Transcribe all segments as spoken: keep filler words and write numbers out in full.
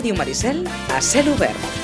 Ràdio Maricel a cel obert.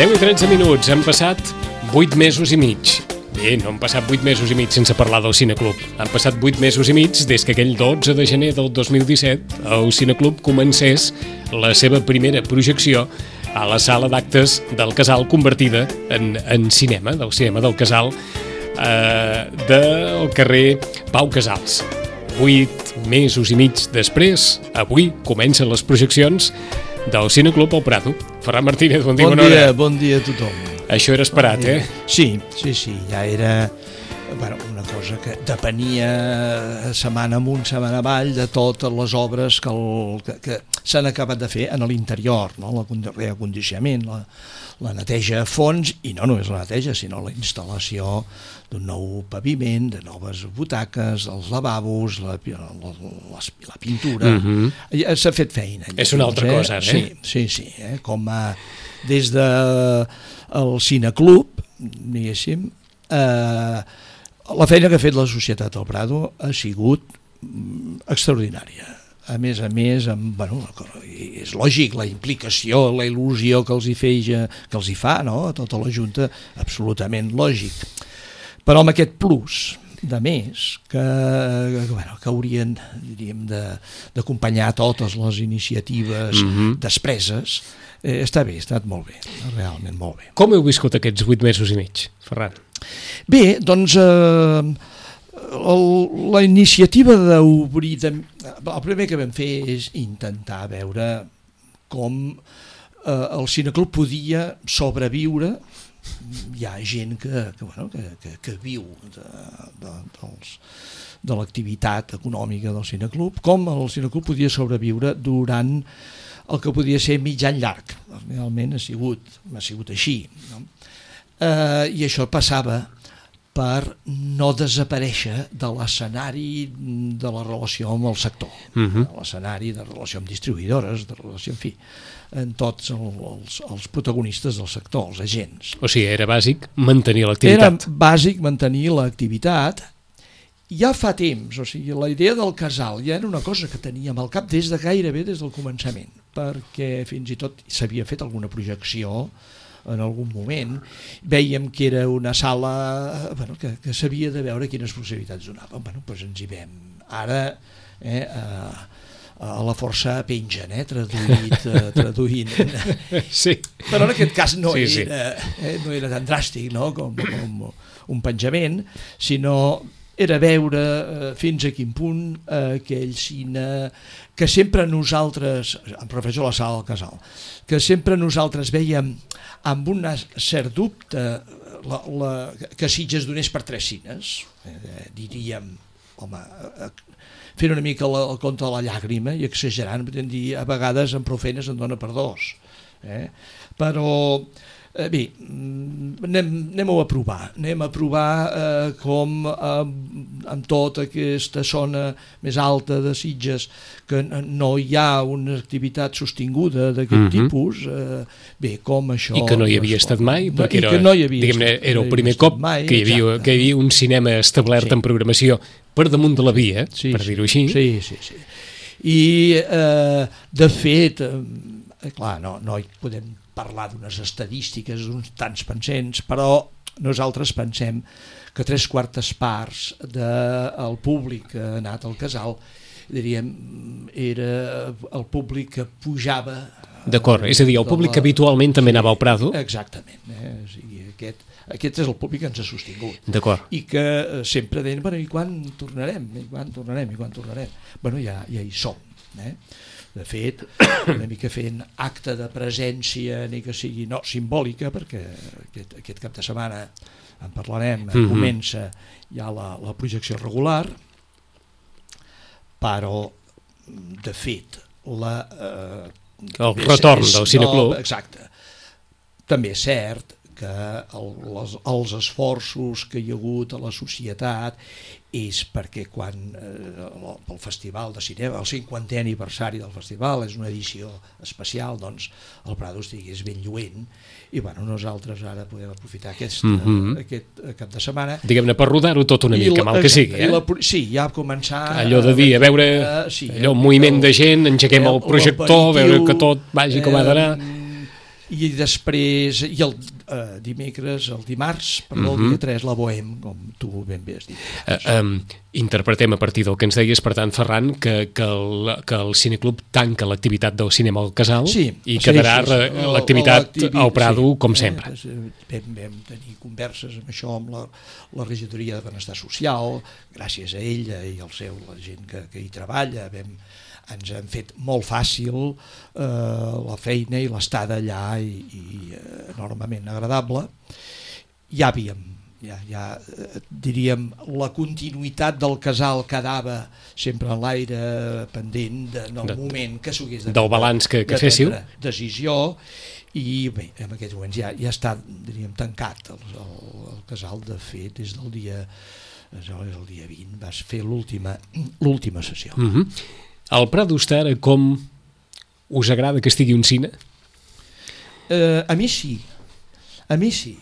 deu i tretze minuts, han passat vuit mesos i mig. Bé, no han passat vuit mesos i mig sense parlar del Cineclub. Han passat vuit mesos i mig des que aquell dotze de gener del dos mil disset el Cineclub comencés la seva primera projecció a la sala d'actes del Casal, convertida en, en cinema, del cinema del Casal, eh, del carrer Pau Casals. Vuit mesos i mig després, avui comencen les projeccions del Cineclub al Prado. Ferran Martínez, bon dia, bon bona dia, hora. Bon dia a tothom. Això era esperat, bon eh? Sí, sí, sí, ja era bueno, una cosa que depenia setmana amunt, setmana avall de totes les obres que, el, que, que s'han acabat de fer en l'interior, no? El reacondicionament, la, la neteja a fons, i no només la neteja, sinó la instal·lació d'un nou paviment, de noves butaques, els lavabos, la, la, la, la pintura. Mm-hmm. S'ha fet feina. És una altra eh? cosa, eh? Sí, sí, sí. Eh? Com a, des de el Cineclub, diguéssim, eh, la feina que ha fet la Societat del Prado ha sigut extraordinària. A més a més, amb, bueno, és lògic, la implicació, la il·lusió que els hi feia, que els hi fa, no? A tota la Junta, absolutament lògic. Però amb aquest plus de més que, que, bueno, que haurien, diríem, d'acompanyar totes les iniciatives mm-hmm. despreses, eh, està bé, ha estat molt bé, realment molt bé. Com heu viscut aquests vuit mesos i mig, Ferran? Bé, doncs eh, el, la iniciativa d'obrir... De, el primer que vam fer és intentar veure com eh, el Cineclub podia sobreviure. Hi ha gent que, que, bueno, que, que, que viu de, de, dels, de l'activitat econòmica del Cineclub, com el Cineclub podia sobreviure durant el que podia ser mig any llarg. Realment ha sigut, ha sigut així, no? Eh, I això passava per no desaparèixer de l'escenari de la relació amb el sector, uh-huh. de l'escenari de relació amb distribuïdores, de relació, en fi, en tots els, els protagonistes del sector, els agents. O sigui, era bàsic mantenir l'activitat. Era bàsic mantenir l'activitat. Ja fa temps, o sigui, la idea del casal ja era una cosa que teníem al cap des de gairebé des del començament, perquè fins i tot s'havia fet alguna projecció en algun moment, veiem que era una sala bueno, que, que s'havia de veure quines possibilitats donava. Bueno, doncs ens hi vam. Ara eh, a, a la força pengen, eh, traduït, eh, traduint. Sí. Però en aquest cas no, sí, era, sí. eh, no era tan dràstic, no? com, com un penjament, sinó era veure eh, fins a quin punt eh, aquell cine que sempre nosaltres, em refereixo a la sala del Casal, que sempre nosaltres veiem amb un cert dubte la, la, que Sitges donés per tres cines, eh, diríem, home, eh, fent una mica la, el conte de la llàgrima i exagerant, podem dir, a vegades en prou feines en dona per dos. Eh? Però, eh, bé, anem, anem a provar, anem a provar eh, com eh, en tota aquesta zona més alta de Sitges, que no hi ha una activitat sostinguda d'aquest mm-hmm. tipus, eh, bé, com això... I que no hi havia estat mai, perquè no, era, no estat, era el primer cop mai, que, hi havia, que hi havia un cinema establert sí. en programació per damunt de la via, sí, per dir-ho així. Sí, sí, sí. I, eh, de fet, eh, clar, no, no hi podem parlar d'unes estadístiques, d'uns tants pensents, però nosaltres pensem que tres quartes parts del públic que ha anat al casal, diríem, era el públic que pujava. D'acord, és a dir, el públic que habitualment també anava al Prado. Exactament, eh? O sigui, aquest, aquest és el públic que ens ha sostingut. D'acord. I que sempre deien, bueno, i quan tornarem? I quan tornarem? I quan tornarem? Bueno, ja, ja hi som, eh? De fet, una mica fent acte de presència, ni que sigui no simbòlica, perquè aquest, aquest cap de setmana en parlarem, mm-hmm. comença ja la, la projecció regular, però, de fet, la, eh, el retorn és, del cineclub. No, exacte. També és cert que el, les, els esforços que hi ha hagut a la societat és perquè quan eh, el festival de cinema, el cinquantè aniversari del festival, és una edició especial, doncs el Prado estigués ben lluent i bueno, nosaltres ara podem aprofitar aquest, mm-hmm. eh, aquest cap de setmana. Diguem-ne, per rodar-ho tot una mica, la, mal que sigui. Eh? La, sí, ja començar... Allò de dir, a veure, uh, sí, allò, un moviment el, de gent, engeguem el, el projector, veure que tot vagi com ha d'anar... I després, i el eh, dimecres, el dimarts, perdó, mm-hmm. el dia tres, la Bohem, com tu ben bé has dit. Uh, um, interpretem a partir del que ens deies, per tant, Ferran, que, que, el, que el cineclub tanca l'activitat del cinema al Casal sí, i quedarà sí, sí, sí. l'activitat al Prado, sí, com sempre. Eh, vam, vam tenir converses amb això, amb la, la regidoria de Benestar Social, gràcies a ella i al seu, la gent que, que hi treballa, vam... ens han fet molt fàcil eh, la feina i l'estada allà i, i eh, enormement agradable. Ja havíem, ja, ja eh, diríem, la continuïtat del casal quedava sempre en l'aire pendent de, en el de, moment que s'hagués de, del balanç que, que féssiu. Decisió i bé, en aquests moments ja, ja està, diríem, tancat el, el, el casal. De fet, des del dia, és el dia vint, vas fer l'última l'última sessió. Mm-hmm. Al Prado està ara com us agrada que estigui un cine? Eh, a mi sí, a mi sí.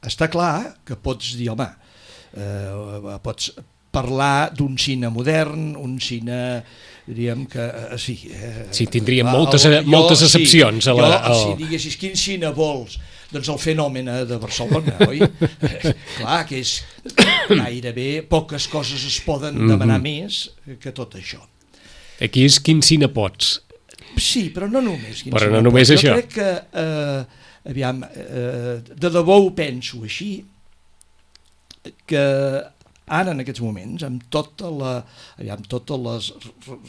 Està clar que pots dir, home, eh, pots parlar d'un cine modern, un cine, diríem que eh, sí. Eh, sí, tindríem el, moltes, el, jo, moltes excepcions. Sí, a la, jo, al... si diguessis quin cine vols, doncs el Fenomen de Barcelona, oi? Eh, clar, que és gairebé poques coses es poden demanar mm-hmm. més que tot això. Aquí és quin cine pots. Sí, però no només. Però no només pots. això. Jo crec que, eh, aviam, eh, de debò ho penso així, que ara en aquests moments, amb tota la, aviam, tota la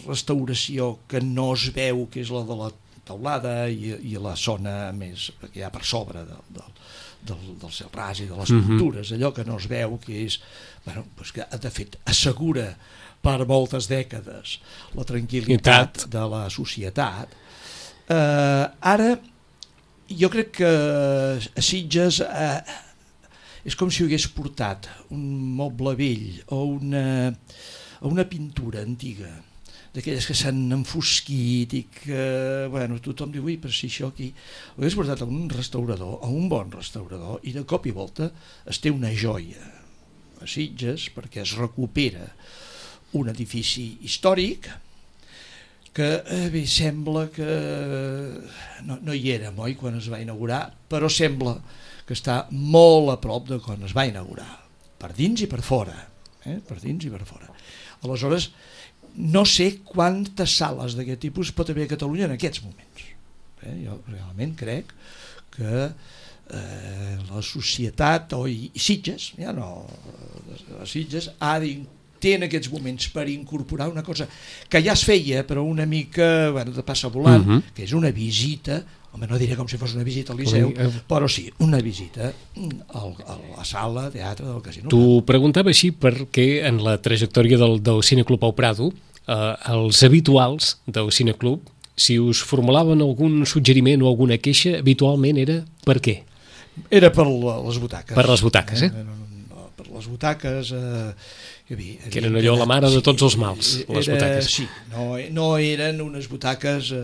restauració que no es veu, que és la de la teulada i, i la zona més, que hi ha per sobre del, del, del, del cel ras i de les pintures, mm-hmm. allò que no es veu, que és, bueno, doncs que de fet assegura per moltes dècades la tranquil·litat de la societat. Eh, ara, jo crec que a Sitges eh, és com si hagués portat un moble vell o una, o una pintura antiga, d'aquelles que s'han enfosquit i que, bueno, tothom diu, ui, però si això aquí... Ho hagués portat a un restaurador, a un bon restaurador, i de cop i volta es té una joia a Sitges perquè es recupera un edifici històric que eh, bé, sembla que no, no hi érem, oi, quan es va inaugurar, però sembla que està molt a prop de quan es va inaugurar, per dins i per fora, eh? per dins i per fora. Aleshores, no sé quantes sales d'aquest tipus pot haver a Catalunya en aquests moments. Eh? Jo realment crec que eh, la societat, o i, i Sitges, ja no, Sitges ha d'incloure té en aquests moments per incorporar una cosa que ja es feia, però una mica, bueno, de passa volant, uh-huh. que és una visita, home, no diré com si fos una visita al Liceu, uh-huh. però sí, una visita al, a la sala de teatre del Casino. T'ho preguntava així perquè en la trajectòria del, del Cineclub al Prado, eh, els habituals del Cineclub, si us formulaven algun suggeriment o alguna queixa, habitualment era per què? Era per les butaques. Per les butaques, eh? eh? Per les butaques... Eh, que, bé, que eren allò la mare de tots els mals, era, les butaques. Sí, no, no eren unes butaques eh,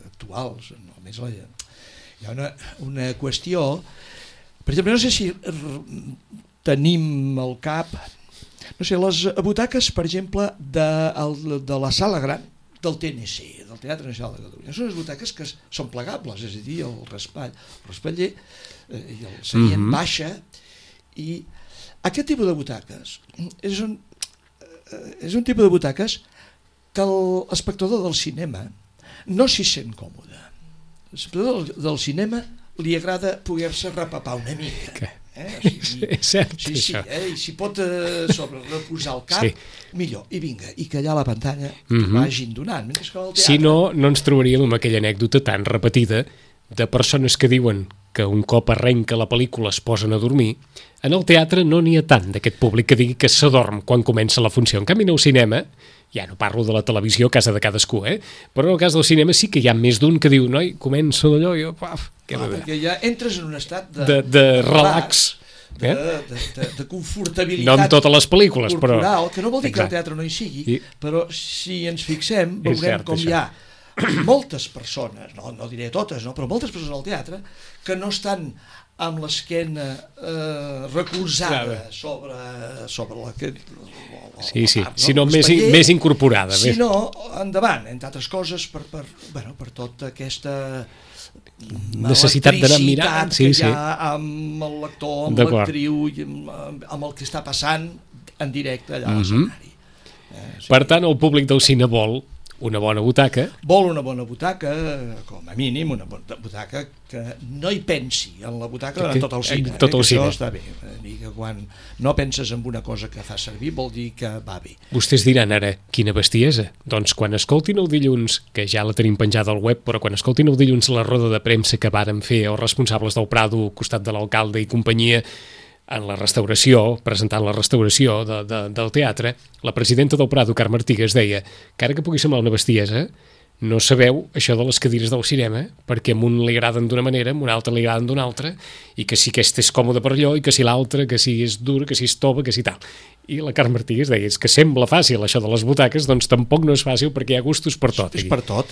actuals, només la, hi ha una, una qüestió, per exemple, no sé si tenim al cap, no sé, les butaques, per exemple, de, de la sala gran del T N C, del Teatre Nacional de Catalunya. Són unes butaques que són plegables, és a dir, el raspall, el raspaller eh, i el seient mm-hmm. baixa, i aquest tipus de butaques és un, eh, és un tipus de butaques que l'espectador del cinema no s'hi sent còmode. L'espectador del, del cinema li agrada poder-se repapar una mica. Okay. Eh? O sigui, és cert, sí, sí, això. Eh? I si pot eh, sobre reposar el cap, sí. millor. I vinga, i que allà a la pantalla mm-hmm. vagin donant. Mentre que al teatre... Si no, no ens trobaríem amb aquella anècdota tan repetida de persones que diuen que un cop arrenca la pel·lícula es posen a dormir. En el teatre no n'hi ha tant d'aquest públic que digui que s'adorm quan comença la funció. En canvi, en el cinema, ja no parlo de la televisió, casa de cadascú, eh? Però en el cas del cinema sí que hi ha més d'un que diu, noi, començo d'allò i jo, paf, què ah, perquè ja entres en un estat de, de, de relax, de, eh? de, de, de confortabilitat. No en totes les pel·lícules, corporal, però... que no vol dir exacte. que el teatre no hi sigui, I... però si ens fixem, veurem cert, com això. hi ha moltes persones, no, no diré totes, no, però moltes persones al teatre que no estan amb l'esquena eh, recolzada sobre, sobre la, que, la, sí, sí. la part, no? Sinó més, més incorporada. Sinó, endavant, entre altres coses, per, per, bueno, per tota aquesta necessitat d'anar mirant, sí, que sí. hi ha amb el lector, amb l'actriu, amb, amb el que està passant en directe allà a l'escenari. Mm-hmm. eh, sí. Per tant, el públic del cine vol una bona butaca. Vol una bona butaca, com a mínim, una bona butaca que no hi pensi en la butaca durant tot el cine. Tot el eh, cine. Això està bé. I que quan no penses en una cosa que fa servir vol dir que va bé. Vostès diran ara, quina bestiesa. Doncs quan escoltin el dilluns, que ja la tenim penjada al web, però quan escoltin el dilluns la roda de premsa que varen fer els responsables del Prado, costat de l'alcalde i companyia, en la restauració, presentant la restauració de, de, del teatre, la presidenta del Prado, Carme Artigas, deia que ara que pugui semblar una bestiesa, no sabeu això de les cadires del cinema, perquè a un li agraden d'una manera, a un altre li agraden d'una altra, i que si aquest és còmode per allò, i que si l'altre, que si és dur, que si és tova, que si tal. I la Carme Artigas deia, és que sembla fàcil això de les butaques, doncs tampoc no és fàcil perquè hi ha gustos per tot. És per tot,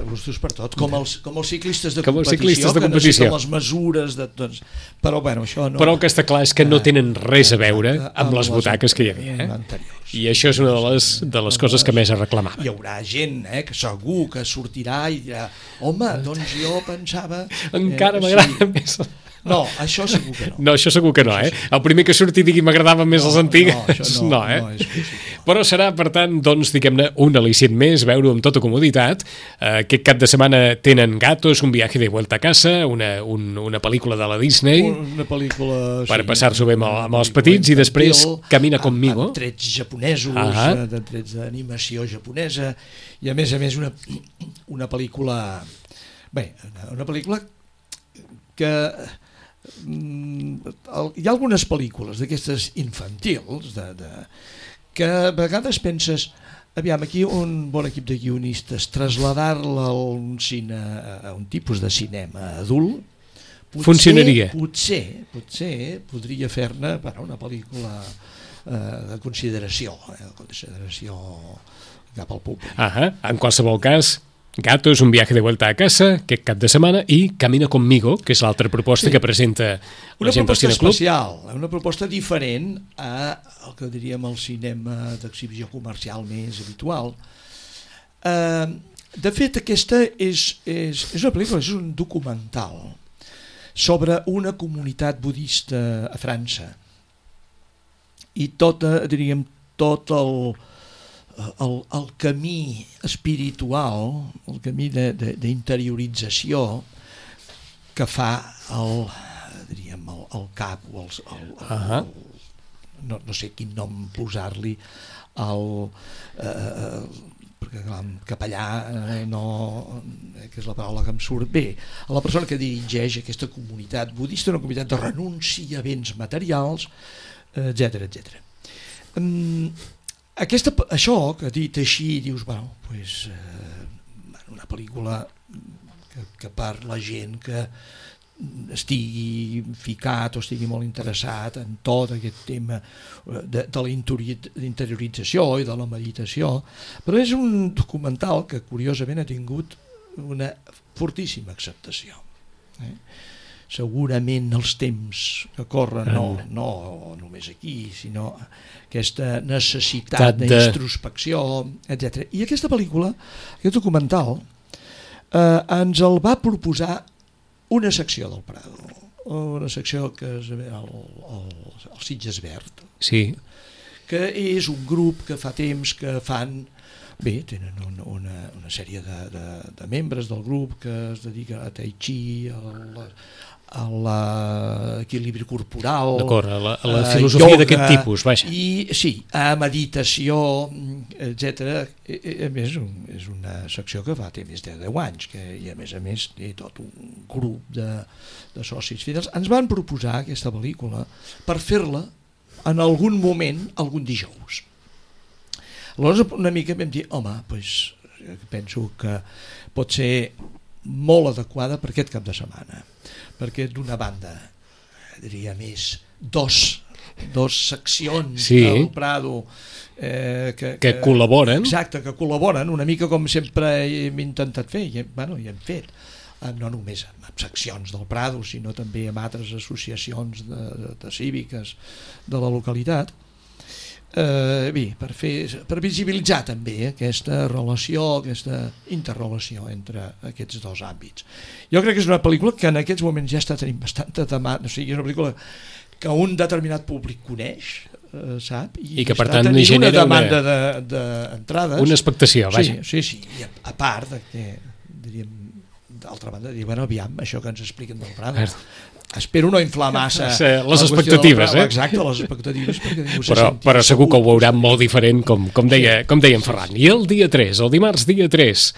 gustos per tot, com els, com els ciclistes de com competició, ciclistes de que competició. necessiten les mesures, de, doncs, però bueno, això no... Però el que està clar és que no tenen res a veure amb les butaques que hi havia. Eh? I això és una de les, de les coses que més es reclamava. Hi haurà gent eh, que segur que sortirà i dirà, home, doncs jo pensava... Encara eh, m'agrada sí. més... No, això segur que no. No, això segur que no, eh? El primer que surti digui m'agradaven més no, les antigues, no, això no, no, eh? No és possible. Però serà, per tant, doncs, diguem-ne, un al·licient més, veure-ho amb tota comoditat. Uh, aquest cap de setmana tenen Gatos, un viaje de vuelta a casa, una, un, una pel·lícula de la Disney, una pel·lícula, per sí, passar-s'ho bé amb, amb els petits, i després Camina conmigo. Amb trets japonesos, ah de trets d'animació japonesa, i a més a més una, una pel·lícula... Bé, una, una pel·lícula que... Hi ha algunes pel·lícules d'aquestes infantils de, de, que a vegades penses, aviam, aquí un bon equip de guionistes, traslladar-la a un, cine, a un tipus de cinema adult, potser, funcionaria. Potser, potser podria fer-ne bueno, una pel·lícula eh, de consideració, eh, de consideració cap al públic. Ah, en qualsevol cas, Gatos, un viaje de vuelta a casa, aquest cap de setmana, i Camina conmigo, que és l'altra proposta sí. que presenta la gent del Cineclub. Una proposta especial, una proposta diferent a el que diríem el cinema d'exhibició comercial més habitual. Eh, de fet, aquesta és, és, és una pel·lícula, és un documental sobre una comunitat budista a França. I tota, diríem, tot el... El, el camí espiritual, el camí d'interiorització que fa el, diríem, el, el cap o el, el, el, uh-huh. el, no, no sé quin nom posar-li, el, eh, perquè clar, capellà eh, no, eh, que és la paraula que em surt bé, a la persona que dirigeix aquesta comunitat budista, una comunitat de renúncia a béns materials, etcètera, etcètera. Um, Aquesta, això que dit així dius, bueno, pues, eh, una pel·lícula que, que per la gent que estigui ficat o estigui molt interessat en tot aquest tema de, de la interiorització i de la meditació, però és un documental que curiosament ha tingut una fortíssima acceptació. Eh? segurament els temps que corren, no, no només aquí, sinó aquesta necessitat de... d'introspecció, etcètera. I aquesta pel·lícula, aquest documental, eh, ens el va proposar una secció del Prado, una secció que és el, el, el Sitges Verd, sí. que és un grup que fa temps que fan, bé, tenen una, una, una sèrie de, de, de membres del grup que es dediquen a tai chi, a l'equilibri corporal, d'acord, a la, a la filosofia d'aquest tipus, vaja. I sí, a meditació, etcètera. A més, és una secció que fa té més de deu anys, que, i a més a més té tot un grup de, de socis fidels. Ens van proposar aquesta pel·lícula per fer-la en algun moment, algun dijous. Aleshores una mica vam dir, home, doncs, penso que pot ser molt adequada per aquest cap de setmana, perquè d'una banda, diria més, dos, dos seccions sí. del Prado eh, que, que, que col·laboren. Exacte, que col·laboren, una mica com sempre hem intentat fer, i, bueno, i hem fet, no només amb seccions del Prado, sinó també amb altres associacions de, de, de cíviques de la localitat, eh, bé, per, fer, per visibilitzar també aquesta relació, aquesta interrelació entre aquests dos àmbits. Jo crec que és una pel·lícula que en aquests moments ja està tenint bastanta demanda, o sigui, és una pel·lícula que un determinat públic coneix, eh, sap, i, i que per està tant tenint una demanda una, d'entrades. Una expectació, vaja. Sí, sí, sí, i a, a part de que, diríem, d'altra banda, dir, bueno, aviam, això que ens expliquen del Prado. Espero no inflar massa sí, les expectatives, eh? Exacte, les expectatives, perquè ningú se però, senti però segur que ho veuran segur. molt diferent, com, com, deia, sí. com deia en Ferran. I el dia tres, el dimarts dia tres,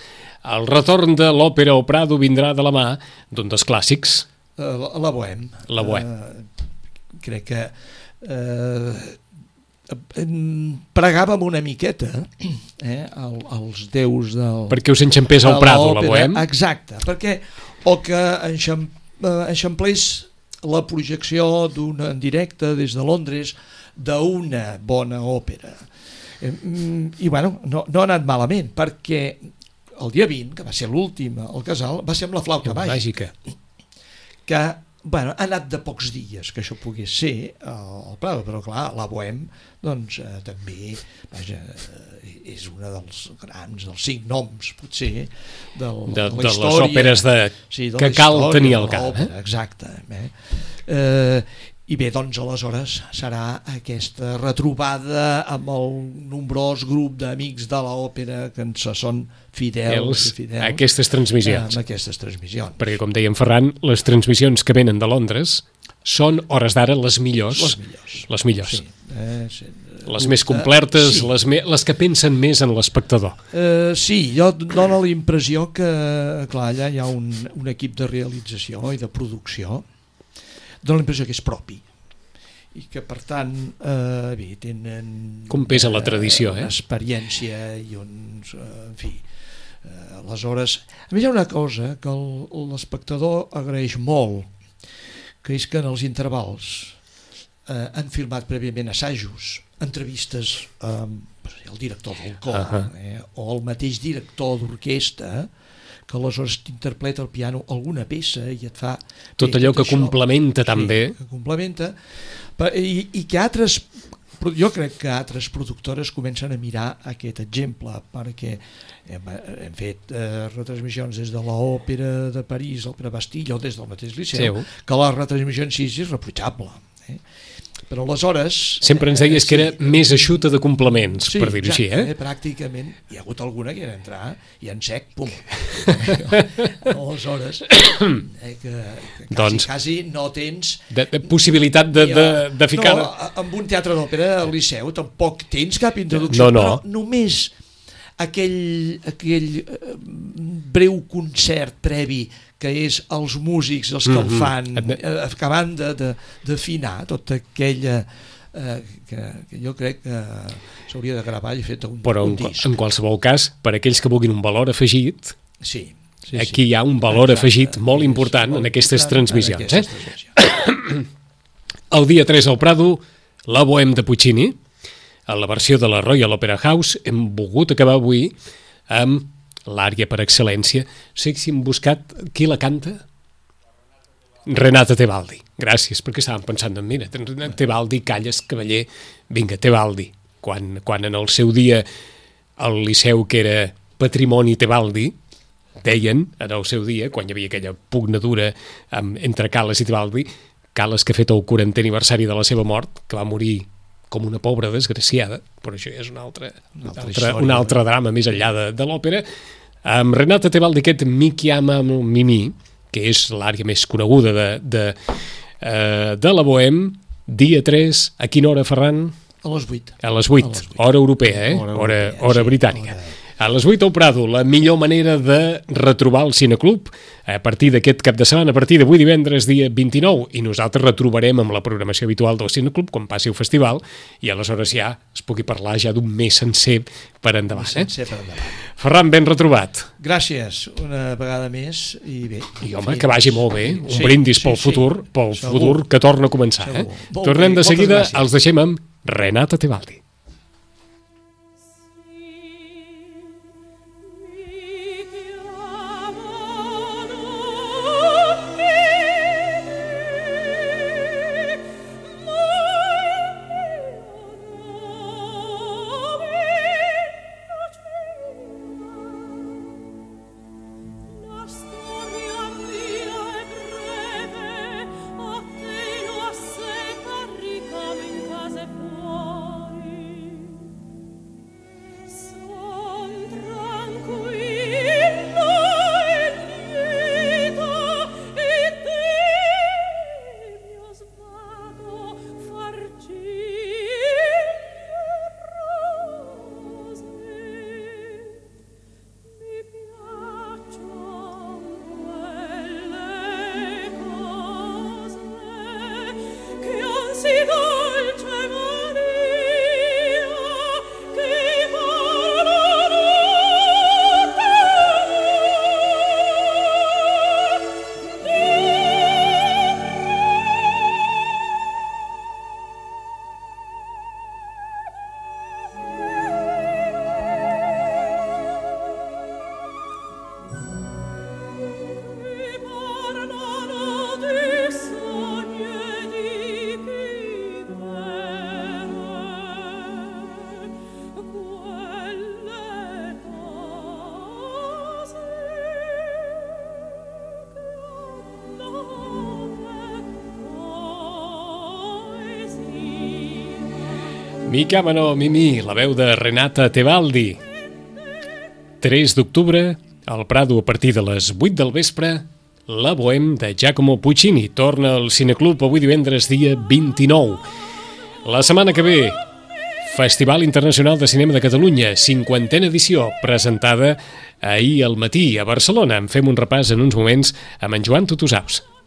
el retorn de l'òpera o Prado vindrà de la mà d'un dels clàssics. Uh, la, la Bohème. La Bohème. Uh, crec que uh, pregàvem una miqueta eh, el, els déus del... Perquè us enxampés al Prado, la Bohème. Exacte, perquè o que enxam, enxamplés la projecció d'un en directe des de Londres d'una bona òpera. I bueno, no, no ha anat malament, perquè el dia vint, que va ser l'últim al Casal, va ser amb la flauta màgica, que bueno, ha anat de pocs dies que això pogués ser al Prado, però clar, la Bohème doncs eh, també vaja, eh, és una dels grans, dels cinc noms potser del, de, de, de les òperes de, sí, de que cal tenir al cap, eh? Exacte. Eh? Eh, I bé, doncs aleshores serà aquesta retrobada amb el nombrós grup d'amics de l'òpera que ens són fidels, fidels a aquestes transmissions. Amb aquestes transmissions. Perquè, com deia en Ferran, les transmissions que venen de Londres són, hores d'ara, les millors. Les millors. Les millors. Sí, eh, sí. Les més complertes, sí. les, me, les que pensen més en l'espectador. Eh, sí, jo dono la impressió que, clar, allà hi ha un, un equip de realització i de producció, dono la impressió que és propi, i que per tant eh, bé, tenen com pesa la tradició, eh? Una experiència i uns, eh, en fi, eh, aleshores, a més hi ha una cosa que l'espectador agraeix molt, que és que en els intervals eh, han filmat prèviament assajos, entrevistes amb el director del cor, uh-huh. eh, o el mateix director d'orquestra, que aleshores t'interpreta al piano alguna peça i et fa... Tot bé, allò tot que això, complementa sí, també. Que complementa, i, i que altres... Jo crec que altres productores comencen a mirar aquest exemple, perquè hem, hem fet eh, retransmissions des de l'òpera de París, l'òpera Bastille, o des del mateix Liceu, sí. que la retransmissió en sí és reprotxable. Eh? Però aleshores... Sempre ens deies eh, que era sí, més eixuta de complements, sí, per dir-ho així, eh? eh? Pràcticament. Hi ha hagut alguna que era entrar i en sec, pum. Aleshores, eh, que, que quasi, doncs, quasi no tens... De, de possibilitat de, de, de ficar... No, amb un teatre d'òpera al Liceu tampoc tens cap introducció, no, no. però només aquell, aquell breu concert previ que és els músics els que mm-hmm. el fan, eh, acabant d'afinar tota aquella eh, que, que jo crec que s'hauria de gravar i fet un, però un en, disc. En qualsevol cas, per aquells que vulguin un valor afegit, sí, sí, aquí sí. hi ha un valor Exacte, afegit molt important molt en aquestes transmissions. En aquestes eh? transmissions. El dia tres al Prado, la Bohème de Puccini, a la versió de la Royal Opera House, hem volgut acabar avui amb l'ària per excel·lència. No sé si hem buscat qui la canta. Renata Tebaldi. Gràcies, perquè estàvem pensant en, mira, Tebaldi, Calles, Cavaller, vinga, Tebaldi. Quan, quan en el seu dia el Liceu, que era Patrimoni Tebaldi, deien, en el seu dia, quan hi havia aquella pugnadura amb, entre Cales i Tebaldi, Cales que ha fet el quarantè aniversari de la seva mort, que va morir com una pobra desgraciada, però això és un altre, un altre, altre, un altre drama més enllà de, de l'òpera. Amb Renata Tebaldi, aquest Mi chiama Mimì, que és l'àrea més coneguda de, de, uh, de la Bohème, dia tres, a quina hora, Ferran? A les vuit. A les vuit, hora europea, eh? Hora, hora, europea, hora sí, britànica. Hora... A les vuit al Prado, la millor manera de retrobar el Cineclub a partir d'aquest cap de setmana, a partir d'avui divendres, dia vint-i-nou, i nosaltres retrobarem amb la programació habitual del Cineclub quan passi el festival, i aleshores ja es pugui parlar ja d'un mes sencer per endavant. Eh? Sencer per endavant. Ferran, ben retrobat. Gràcies, una vegada més, i bé. I home, que vagi molt bé, un sí, brindis pel sí, futur, sí. pel Segur. futur que torna a començar. Eh? Tornem de seguida, els deixem amb Renata Tebaldi. Mi chiamano Mimì, la veu de Renata Tebaldi. tres d'octubre, al Prado, a partir de les vuit del vespre, la Bohème de Giacomo Puccini. Torna al Cineclub avui divendres, dia vint-i-nou. La setmana que ve, Festival Internacional de Cinema de Catalunya, cinquantena edició, presentada ahir al matí a Barcelona. En fem un repàs en uns moments amb en Joan Tutusaus.